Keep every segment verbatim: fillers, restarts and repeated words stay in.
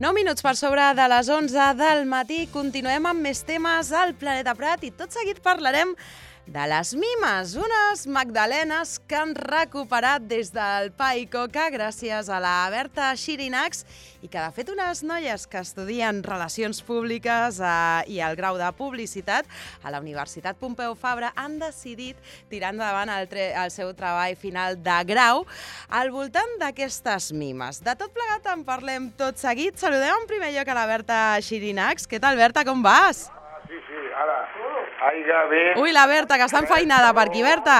nou minuts per sobre de les onze del matí. Continuem amb més temes al Planeta Prat i tot seguit parlarem de les mimes, unes magdalenes que han recuperat des del Pa i Coca gràcies a la Berta Xirinacs i que, de fet, unes noies que estudien Relacions Públiques eh, i el grau de Publicitat a la Universitat Pompeu Fabra han decidit tirar endavant el, el seu treball final de grau al voltant d'aquestes mimes. De tot plegat en parlem tot seguit. Saludem en primer lloc a la Berta Xirinacs. Què tal, Berta, com vas? Ah, sí, sí, ara. Aiga, bé. Ui, la Berta, que està enfeinada per aquí, Berta.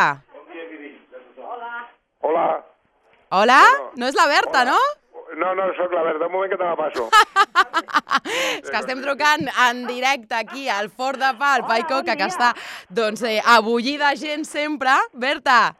Hola. Hola. Hola? No és la Berta, no? No, no, sóc la Berta. Un moment que te la passo. És que estem trucant en directe aquí al Fort de Pa, al Pa i Coca, que està, doncs, eh, a bullir de gent sempre. Berta.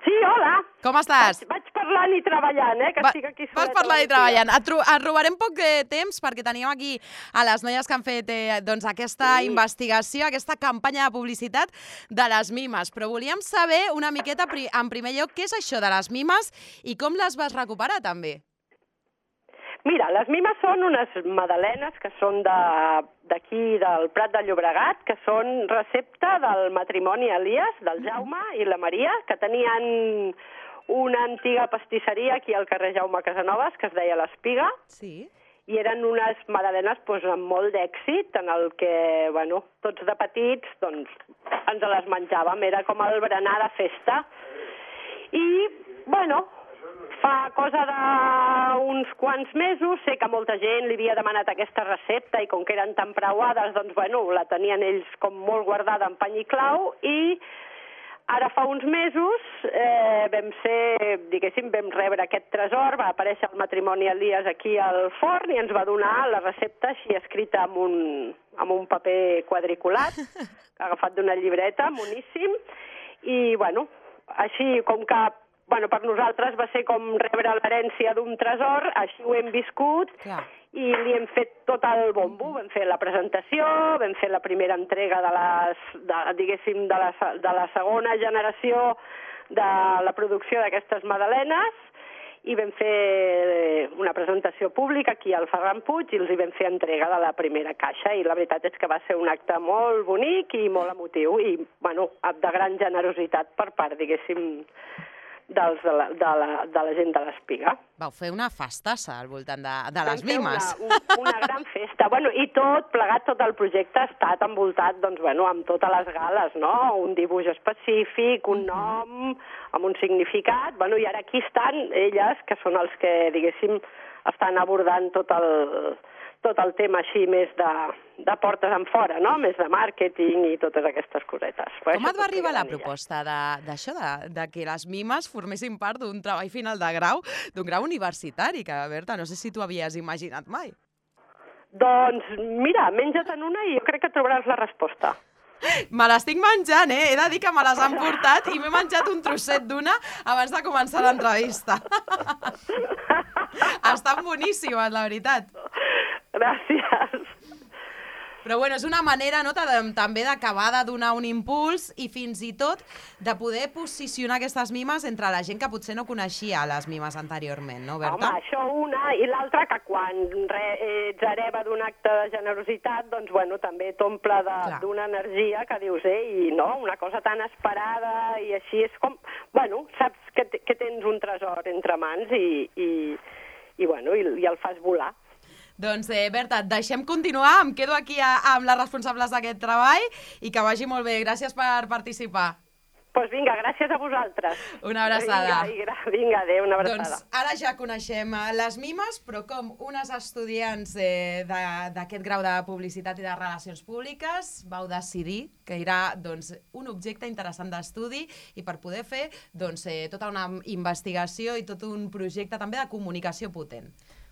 Sí, hola. Com estàs? Vaig, vaig parlant i treballant, eh, que Va, estic aquí sola. vas parlant i treballant. Et, tro et robarem poc eh, temps perquè teníem aquí a les noies que han fet eh, doncs, aquesta sí. investigació, aquesta campanya de publicitat de les mimes. Però volíem saber una miqueta, pri en primer lloc, què és això de les mimes i com les vas recuperar, també? Mira, les mimes són unes magdalenes que són d'aquí, de, del Prat de Llobregat, que són recepta del matrimoni Elias, del Jaume i la Maria, que tenien una antiga pastisseria aquí al carrer Jaume Casanovas, que es deia l'Espiga, sí. i eren unes magdalenes doncs, amb molt d'èxit, en el que, bueno, tots de petits, doncs, ens les menjàvem, era com el berenar de festa. I, bueno, fa cosa d'uns quants mesos, sé que molta gent li havia demanat aquesta recepta i com que eren tan preuades, doncs, bueno, la tenien ells com molt guardada en pany i clau i ara fa uns mesos eh, vam ser, diguéssim, vam rebre aquest tresor, va aparèixer el matrimoni Elias aquí al forn i ens va donar la recepta així escrita amb un, amb un paper quadriculat, agafat d'una llibreta, moníssim, i, bueno, així com que bueno, per nosaltres va ser com rebre l'herència d'un tresor, així ho hem viscut, clar. I li hem fet tot el bombo. Vam fer la presentació, vam fer la primera entrega de les, de, diguéssim, de la, de la segona generació de la producció d'aquestes magdalenes i vam fer una presentació pública aquí al Ferran Puig i els hi vam fer entrega de la primera caixa i la veritat és que va ser un acte molt bonic i molt emotiu i, bueno, de gran generositat per part, diguéssim, dels, de, la, de, la, de la gent de l'Espiga. Vau fer una festassa al voltant de, de les mimes. Una, una, una gran festa. Bueno, i tot, plegat, tot el projecte ha estat envoltat, doncs, bueno, amb totes les gales, no? Un dibuix específic, un nom, amb un significat. Bueno, i ara aquí estan elles, que són els que, diguéssim, estan abordant tot el, tot el tema així més de, de portes en fora, no? Més de màrqueting i totes aquestes cosetes. Però com et va arribar la proposta d'això, de, de, de que les mimes formessin part d'un treball final de grau, d'un grau universitari, que, Berta, no sé si tu havies imaginat mai? Doncs, mira, menja't-en una i jo crec que trobaràs la resposta. Me l'estic menjant, eh? He de dir que me les han portat i m'he menjat un trosset d'una abans de començar l'entrevista. Estan boníssimes, la veritat. Gràcies. Però bueno, és una manera, no, també d'acabar de donar un impuls i fins i tot de poder posicionar aquestes mimes entre la gent que potser no coneixia les mimes anteriorment, no, Berta? Home, això una, i l'altra que quan re, ets hereva d'un acte de generositat, doncs bueno, també t'omple d'una energia que dius, eh, i no, una cosa tan esperada i així és com, bueno, saps que, que tens un tresor entre mans i, i, i bueno, i, i el fas volar. Doncs, eh, Berta, et deixem continuar. Em quedo aquí a, amb les responsables d'aquest treball i que vagi molt bé. Gràcies per participar. Doncs pues vinga, gràcies a vosaltres. Una abraçada. Vinga, vinga, adéu, una abraçada. Doncs ara ja coneixem les mimes, però com unes estudiants eh, d'aquest grau de publicitat i de relacions públiques vau decidir que era doncs, un objecte interessant d'estudi i per poder fer doncs, eh, tota una investigació i tot un projecte també de comunicació potent.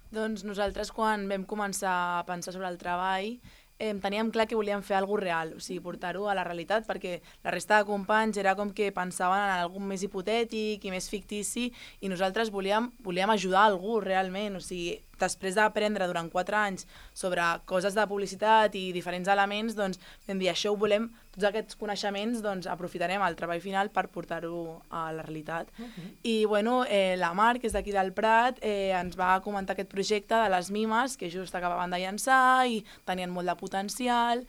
Doncs nosaltres, quan vam començar a pensar sobre el treball, eh, teníem clar que volíem fer alguna cosa real, o sigui, portar-ho a la realitat, perquè la resta de companys era com que pensaven en algun més hipotètic i més fictici, i nosaltres volíem, volíem ajudar algú realment, o sigui, després d'aprendre durant quatre anys sobre coses de publicitat i diferents elements, doncs vam dir, això ho volem, tots aquests coneixements, doncs aprofitarem el treball final per portar-ho a la realitat. Uh-huh. I, bueno, eh, la Mar, que és d'aquí del Prat, eh, ens va comentar aquest projecte de les mimes, que just acabaven de llançar i tenien molt de potencial,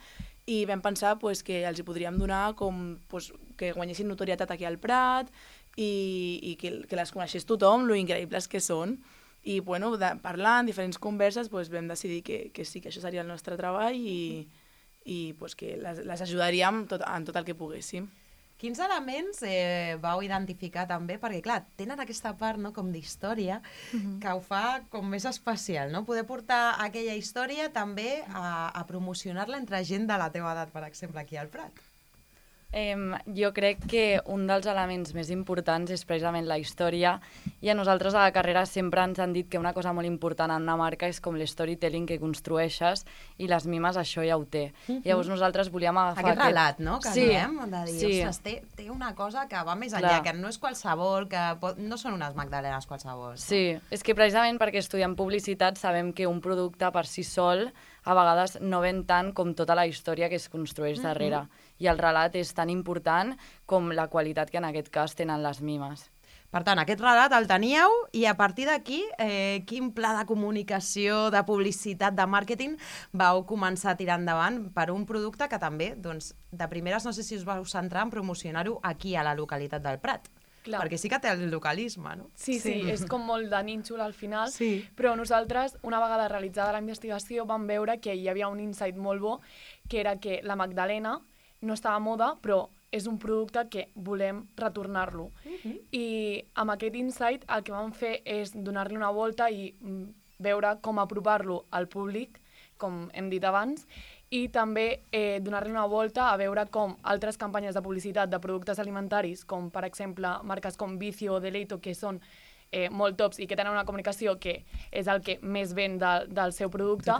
i vam pensar pues, que els hi podríem donar com pues, que guanyessin notorietat aquí al Prat i, i que, que les coneixés tothom, lo increïbles que són. I bueno, de, parlant, diferents converses, pues, vam decidir que, que sí, que això seria el nostre treball i, i pues, que les, les ajudaríem tot, en tot el que poguéssim. Quins elements eh, vau identificar també? Perquè, clar, tenen aquesta part no, com d'història uh-huh. que ho fa com més especial, no? Poder portar aquella història també a, a promocionar-la entre gent de la teva edat, per exemple, aquí al Prat. Eh, jo crec que un dels elements més importants és precisament la història, i a nosaltres a la carrera sempre ens han dit que una cosa molt important en una marca és com l'storytelling que construeixes, i les mimes això ja ho té. Uh-huh. Llavors nosaltres volíem agafar... Aquest relat, no?, que sí, diem, de dir, sí. ostres, té, té una cosa que va més enllà, Clar. que no és qualsevol, que pot... no són unes magdalenes qualsevol. No? Sí, és que precisament perquè estudiem publicitat sabem que un producte per si sol a vegades no ven tant com tota la història que es construeix darrere. Uh-huh. I el relat és tan important com la qualitat que en aquest cas tenen les mimes. Per tant, aquest relat el teníeu i a partir d'aquí, eh, quin pla de comunicació, de publicitat, de màrqueting vau començar a tirar endavant per un producte que també, doncs, de primeres no sé si us vau centrar en promocionar-ho aquí a la localitat del Prat. Clar. Perquè sí que té el localisme, no? Sí, sí, sí, és com molt de nínxol al final, sí. Però nosaltres, una vegada realitzada la investigació, vam veure que hi havia un insight molt bo, que era que la Magdalena no estava a moda, però és un producte que volem retornar-lo. Uh-huh. I amb aquest insight el que vam fer és donar-li una volta i veure com apropar-lo al públic, com hem dit abans, i també eh, donar-li una volta a veure com altres campanyes de publicitat de productes alimentaris, com per exemple marques com Vicio o Deleito, que són eh, molt tops i que tenen una comunicació que és el que més ven de, del seu producte,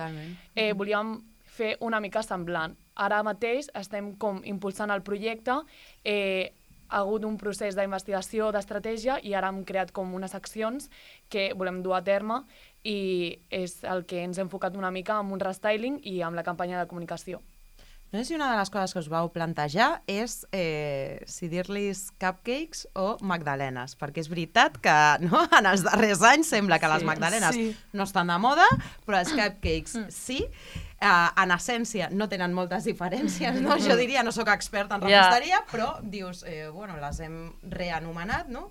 eh, volíem fer una mica semblant. Ara mateix estem com impulsant el projecte, eh, ha hagut un procés d'investigació, d'estratègia, i ara hem creat com unes accions que volem dur a terme, i és el que ens hem enfocat una mica amb un restyling i amb la campanya de comunicació. No sé si una de les coses que us vau plantejar és eh, si dir-los cupcakes o magdalenes, perquè és veritat que no, en els darrers anys sembla que sí, les magdalenes sí. no estan de moda, però els cupcakes sí. Uh, en essència no tenen moltes diferències, no? Jo diria, no sóc experta en reposteria, yeah. però dius, eh, bueno, les hem reanomenat, no?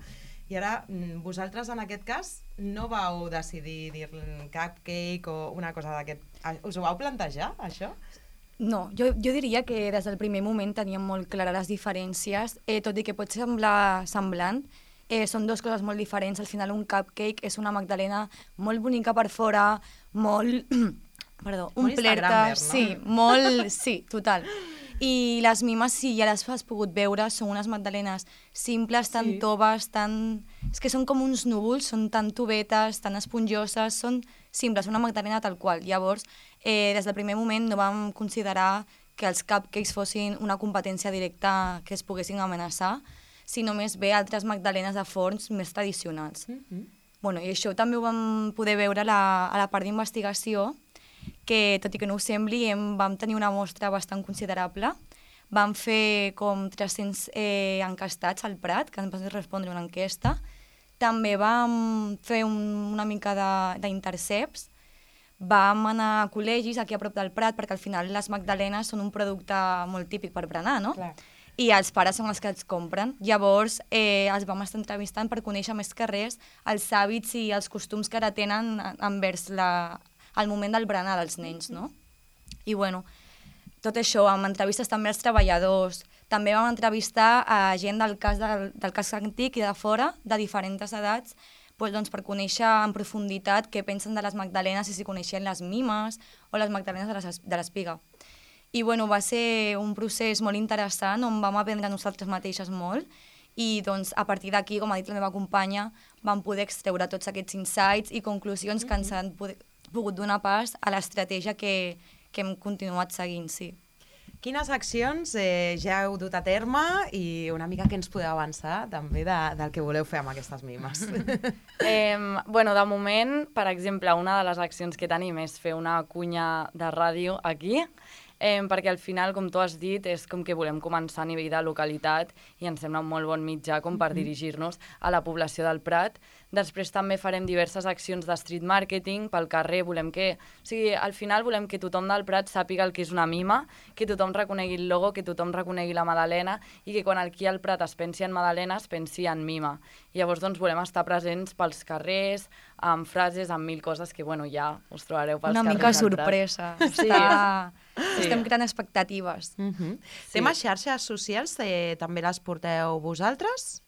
I ara, vosaltres, en aquest cas, no vau decidir dir cupcake o una cosa d'aquest... Us ho vau plantejar, això? No, jo, jo diria que des del primer moment teníem molt clares les diferències, eh, tot i que pot semblar semblant, eh, són dues coses molt diferents. Al final, un cupcake és una magdalena molt bonica per fora, molt... Perdó, un plerta, no? Sí, molt... Sí, total. I les mimes, sí, ja les has pogut veure, són unes magdalenes simples, tan sí. toves, tan... És que són com uns núvols, són tan tubetes, tan esponjoses, són simples, una magdalena tal qual. Llavors, eh, des del primer moment no vam considerar que els cupcakes fossin una competència directa que es poguessin amenaçar, sinó més bé altres magdalenes de forns més tradicionals. Mm-hmm. Bueno, i això també ho vam poder veure a la, a la part d'investigació, que, tot i que no ho sembli, em, vam tenir una mostra bastant considerable. Vam fer com tres-cents eh, encastats al Prat, que ens van respondre una enquesta. També vam fer un, una mica d'interceps. Vam anar a col·legis aquí a prop del Prat, perquè al final les magdalenes són un producte molt típic per berenar, no? Clar. I els pares són els que els compren. Llavors eh, els vam estar entrevistant per conèixer més que res els hàbits i els costums que ara tenen envers la... al moment del berenar dels nens, no? I, bueno, tot això, amb entrevistes també als treballadors. També vam entrevistar a gent del cas, del, del cas antic i de fora, de diferents edats, doncs, doncs, per conèixer en profunditat què pensen de les magdalenes i si coneixien les mimes o les magdalenes de l'espiga. I, bueno, va ser un procés molt interessant on vam aprendre nosaltres mateixes molt i, doncs, a partir d'aquí, com ha dit la meva companya, vam poder extreure tots aquests insights i conclusions que ens han poder pogut donar pas a l'estratègia que, que hem continuat seguint, sí. Quines accions eh, ja heu dut a terme i una mica què ens podeu avançar també de, del que voleu fer amb aquestes mimes? Eh, bueno, de moment, per exemple, una de les accions que tenim és fer una cunya de ràdio aquí, eh, perquè al final, com tu has dit, és com que volem començar a nivell de localitat i ens sembla un molt bon mitjà com per mm-hmm. dirigir-nos a la població del Prat. Després també farem diverses accions de street marketing pel carrer, volem que... O sigui, al final volem que tothom del Prat sàpiga el que és una mima, que tothom reconegui el logo, que tothom reconegui la Madalena i que quan aquí al Prat es pensi en Madalena es pensi en mima. I llavors doncs volem estar presents pels carrers, amb frases, amb mil coses que bueno, ja us trobareu pels una carrers. Una mica sorpresa. Sí. Està... Sí. Estem creant expectatives. Uh-huh. Sí. Temes xarxes socials, eh, també les porteu vosaltres?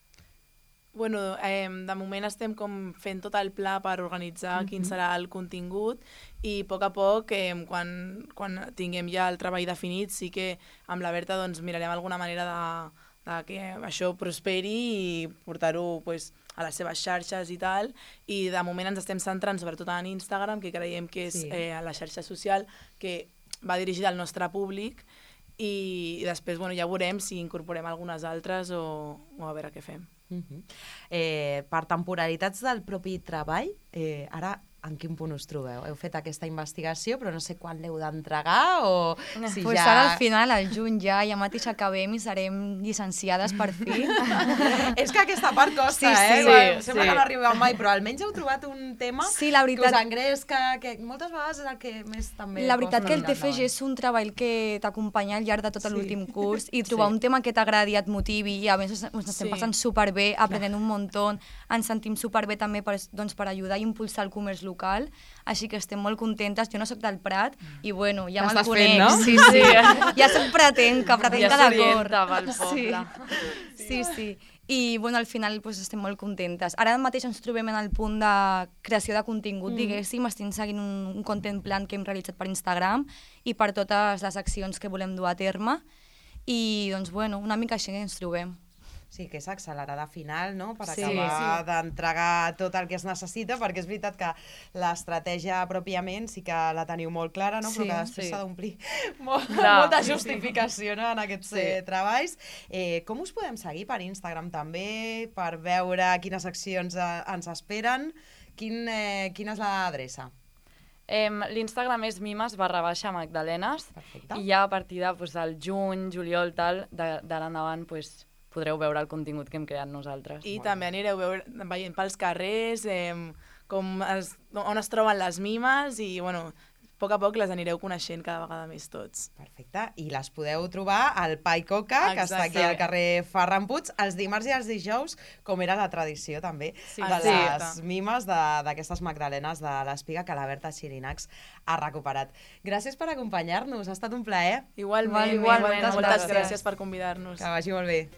Bueno, eh, de moment estem com fent tot el pla per organitzar uh-huh. quin serà el contingut i a poc a poc, eh, quan, quan tinguem ja el treball definit, sí que amb la Berta doncs, mirarem alguna manera de, de que això prosperi i portar-ho pues, a les seves xarxes i tal, i de moment ens estem centrant sobretot en Instagram, que creiem que és sí. eh, la xarxa social que va dirigida al nostre públic i, i després bueno, ja veurem si incorporem algunes altres o, o a veure què fem. Uh-huh. eh, per temporalitats del propi treball, eh, ara en quin punt us trobeu? Heu fet aquesta investigació, però no sé quan l'heu d'entregar o si pues ja... ara al final, al juny ja, ja mateix acabem i serem llicenciades per fi. És que aquesta part costa, sí, eh? sí, Bueno, sí. sembla que no arriba mai, però almenys heu trobat un tema sí, la veritat... que us engresca, que moltes vegades és el que més també... La veritat que el costa T F G és un treball que t'acompanya al llarg de tot Sí. l'últim curs i trobar Sí. un tema que t'agradi, et motivi i a més ens estem Sí. passant superbé, aprenent un muntó, ens sentim superbé també per, doncs, per ajudar i impulsar el comerç local, així que estem molt contentes. Jo no sóc del Prat i bueno, ja me'l T'estàs conec. fent, no? Sí, sí. Ja soc pratenca, pratenca Ja de cor. s'orienta pel poble. Sí, sí. sí. I bueno, al final pues, estem molt contentes. Ara mateix ens trobem en el punt de creació de contingut, mm. diguéssim. Estem seguint un, un content plan que hem realitzat per Instagram i per totes les accions que volem dur a terme. I doncs bueno, una mica així ens trobem. Sí, que és accelerada final, no?, per Sí, acabar sí. d'entregar tot el que es necessita, perquè és veritat que l'estratègia pròpiament sí que la teniu molt clara, no?, Sí, però que després sí. s'ha d'omplir molt, Clar, molta sí, sí. justificació no? en aquests Sí. eh, treballs. Eh, com us podem seguir per Instagram també, per veure quines accions eh, ens esperen? Quin, eh, quina és l'adreça? Eh, L'Instagram és mimes barra baixa magdalenes. Perfecte. I ja a partir de, pues, del juny, juliol, tal, d'ara endavant pues, podreu veure el contingut que hem creat nosaltres. I també anireu veure, veient pels carrers eh, com es, on es troben les mimes i, bueno, a poc a poc les anireu coneixent cada vegada més tots. Perfecte. I les podeu trobar al Pai Coca, que està aquí al carrer Ferran Puig, els dimarts i els dijous, com era la tradició també, Sí, de sí. les mimes de- d'aquestes magdalenes de l'Espiga que la Berta Xirinacs ha recuperat. Gràcies per acompanyar-nos, ha estat un plaer. Igualment, Igualment, moltes moltes gràcies gràcies per convidar-nos. Que vagi molt bé.